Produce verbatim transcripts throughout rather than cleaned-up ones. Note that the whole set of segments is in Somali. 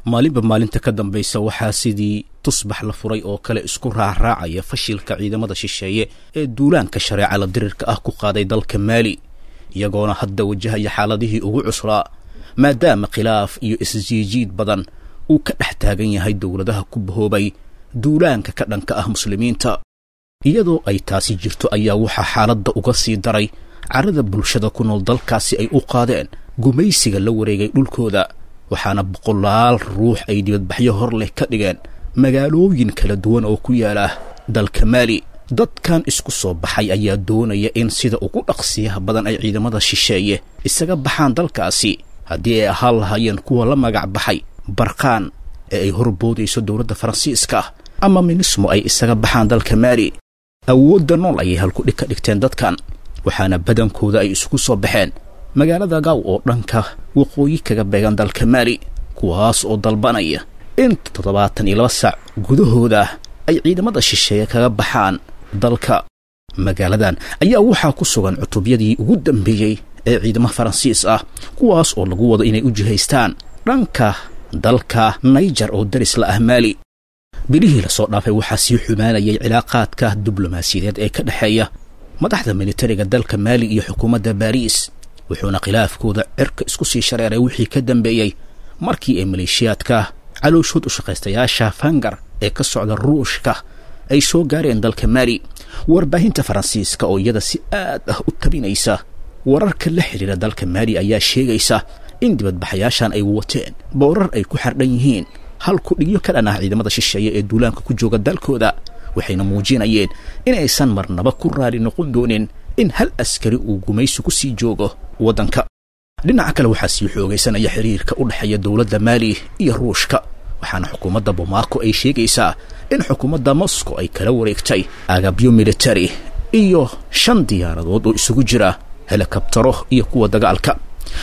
Maalinba maalinta ka dambaysa waxaa sidii tusbax la furay oo kale isku raacraacaya fashilka ciidamada shisheeye ee duulaanka shareeca la dirirka ah ku qaaday dalka Maali, iyagoona hadda wajahaya xaaladihii ugu cuslaa, maadaama khilaaf iyo isjiijiid badan uu ka dhex taagan yahay dowladaha ku bahoobay duulaanka ka dhanka ah muslimiinta. Iyadoo ay taasi jirto ayaa waxaa xaaladda uga sii daray carada bulshada ku nool dalkaasi ay u qaadeen gumaysiga la wareegay dhulkooda, waxaana boqolaal ruux ay dibadbaxyo hor leh ka dhigeen magaalooyin kala duwan oo ku yaala dalka Maali. Dadkan isku soo baxay ayaa doonaya in sida ugu dhaqsiyaha badan ay ciidamada shisheeye isaga baxaan dalkaasi, haddii ay ahaan lahaayeen kuwa la magac baxay Barqaan ee ay horboodayso dowladda Faransiiska ama Minismo ay isaga baxaan dalka Maali. Awoodda nool ayay halkudhig ka dhigteen dadkan, waxaana badankooda ay isugu soo baxeen magaalada Gaaw oo dhanka waqooyi kaga beegan dalka Maali, kuwaas oo dalbanaya in toddobaatan iyo laba saac gudahooda ay ciidamada shisheeye kaga baxaan dalka. Magaaladan ayaa waxaa ku sugan cutubyadii ugu dambeeyey ee ciidamo Faransiis ah, kuwaas oo lagu wado inay u jihaystaan dhanka dalka Naijer oo daris la ah Maali. Bilihii lasoo dhaafay waxaa sii xumaanayay cilaaqaadka diblomaasiyadeed ee ka dhexeeya madaxda militariga dalka Maali iyo xukuumadda Baariis, wuxuuna khilaafkooda cirka isku sii shareeray wixii ka dambeeyey markii ay maleeshiyaadka calooshood u shaqaystayaasha Fangar ee ka socda Ruushka ay soo gaareen dalka Maali. Warbaahinta Faransiiska oo iyada si aad ah u tabinaysa wararka la xidhiira dalka Maali ayaa sheegaysa in dibadbaxayaashan ay wateen boorar ay ku xardhan yihiin hal ku-dhigyo ka dhan ah ciidamada shisheeye ee duulaanka ku jooga dalkooda, waxayna muujinayeen inaysan marnaba ku raali noqon doonin in hal askari uu gumaysi ku sii joogo waddanka. Dhinaca kale waxaa sii xoogaysanaya xiriirka u dhexeeya dowladda Maali iyo Ruushka, waxaana xukuumadda Bomaako ay sheegaysaa in xukuumadda Moscow ay kala wareegtay agabyo militari iyo shan diyaaradood oo isugu jira helikabtaro iyo kuwa dagaalka.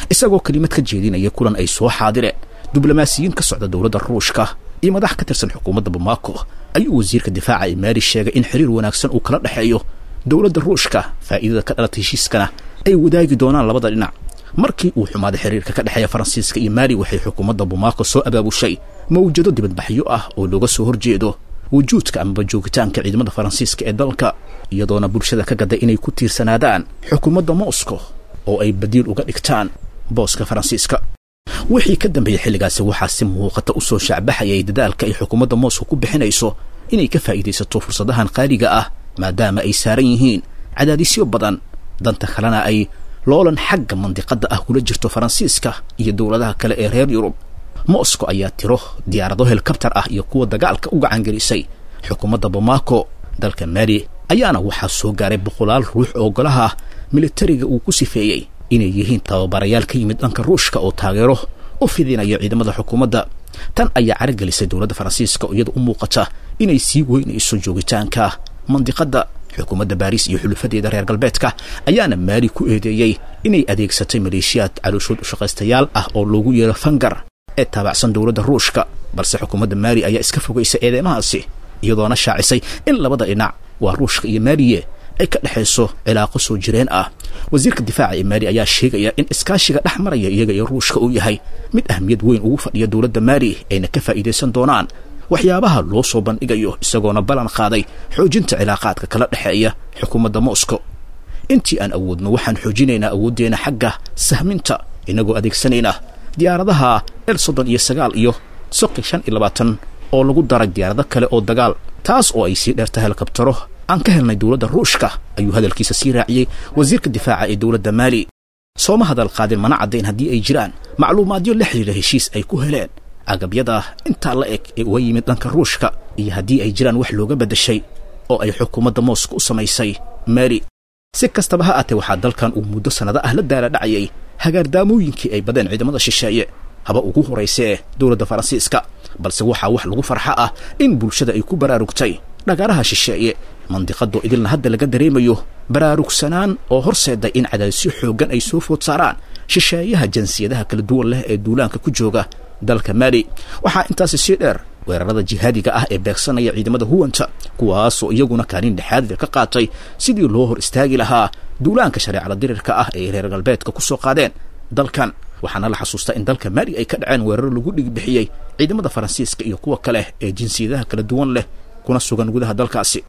Isagoo kelimad ka jeedinaya kulan ay soo xaadireen diblomaasiyiin ka socda dowladda Ruushka iyo madax ka tirsan xukuumadda Bamako ayuu wasiirka difaaca ee Maali sheegay in xiriir wanaagsan uu kala dhexeeyo dowladda Ruushka, faa'iidada ka dhalatay heshiiskana ay wadaagi doonaan labada dhinac. Markii uu xumaaday xiriirka ka dhexeeya Faransiiska iyo Maali, waxay xukuumadda Bamako soo abaabushay mawjado dibadbaxyo ah oo looga soo horjeedo wujuudka amaba joogitaanka ciidamada Faransiiska ee dalka, iyadoona bulshada ka gaday inay ku tiirsanaadaan xukuumadda Moscow oo ay badiil uga dhigtaan booska Faransiiska. Wixii ka dambeeyey xilligaasi waxaa si muuqata u soo shaacbaxayay dadaalka ay xukuumadda Moscow ku bixinayso inay ka faa'iidaysato fursadahan qaaliga ah, maadaama ay saaran yihiin cadaadisyo badan, danta kalena ay loolan xagga mandiqadda ah kula jirto Faransiiska iyo dowladaha kale ee reer Yurub. Moscow ayaa tiro diyaarado helikabtar ah iyo kuwa dagaalka u gacangelisay xukuumadda Bamako. Dalka Maali ayaana waxaa soo gaaray boqolaal ruux oo golaha militariga uu ku sifeeyey inay yihiin tababarayaal ka yimid dhanka Ruushka oo taageero u fidinaya ciidamada xukuumadda. Tan ayaa caragelisay dowladda Faransiiska oo iyada u muuqata inay sii weynayso joogitaanka mandiqadda. Xukuumadda Baariis iyo xulufadeeda reer galbeedka ayaana Maali ku eedeeyey inay adeegsatay maleeshiyaad calooshood u shaqaystayaal ah oo loogu yeero Fangar ee taabacsan dowladda Ruushka, balse xukuumadda Maali ayaa iska fogaysa eedeymahaasi, iyadoona shaacisay in labada dhinac, waa Ruushka iyo Maaliye, ay ka dhexayso cilaaqo soo jireen ah. Wasiirka difaaca ee Maali ayaa sheegaya in iskaashiga dhex maraya iyaga iyo Ruushka uu yahay mid ahmiyad weyn ugu fadhiya dowladda Maali, ayna ka faa'iidaysan doonaan waxyaabaha loo soo bandhigayo, isagoona ballan qaaday xoojinta cilaaqaadka kala dhexeeya xukuumadda Moscow. Intii aan awoodno waxaan xoojinaynaa awooddeena xagga sahminta, inagoo adeegsanayna diyaaradaha El soddon iyo sagaal iyo Soqi shan iyo labaatan oo lagu daray diyaarado kale oo dagaal, taas oo ay sii dheerta helikabtaro aan ka helnay dowladda Ruushka, ayuu hadalkiisa sii raaciyey wasiirka difaaca ee dowladda Maali. Sooma hadal qaadin mana caddayn haddii ay jiraan macluumaadyo la xidhiira heshiis ay ku heleen agabyada intaa la eg ee uga yimid dhanka Ruushka, iyo haddii ay jiraan wax looga beddeshay oo ay xukuumadda Moscow u samaysay Maali. Si kastaba ha aatee, waxaa dalkan uu muddo sannado ah la daala dhacayay hagaardaamooyinkii ay badeen ciidamada shisheeye, haba ugu horaysee dowladda Faransiiska, balse waxaa wax lagu farxo ah in bulshada ay ku baraarugtay dhagaaraha shisheeye, mandiqadoo idilna hadda laga dareemayo baraarugsanaan oo horseeday in cadaadisyo xooggan ay soo food saaraan shisheeyaha jinsiyadaha kala duwan leh ee duulaanka ku jooga dalka Maali. Waxaa intaasi sii dheer weerarada jihaadiga ah ee beegsanaya ciidamada huwanta, kuwaasoo iyaguna kaalin dhexaadle ka qaatay sidii loo hor istaagi lahaa duulaanka shareecada dirirka ah ee reer galbeedka ku soo qaadeen dalkan. Waxaana la xasuustaa in dalka Maali ay ka dhaceen weeraro lagu dhigbixiyey ciidamada Faransiiska iyo kuwa kale ee jinsiyadaha kala duwan leh kuna sugan gudaha dalkaasi.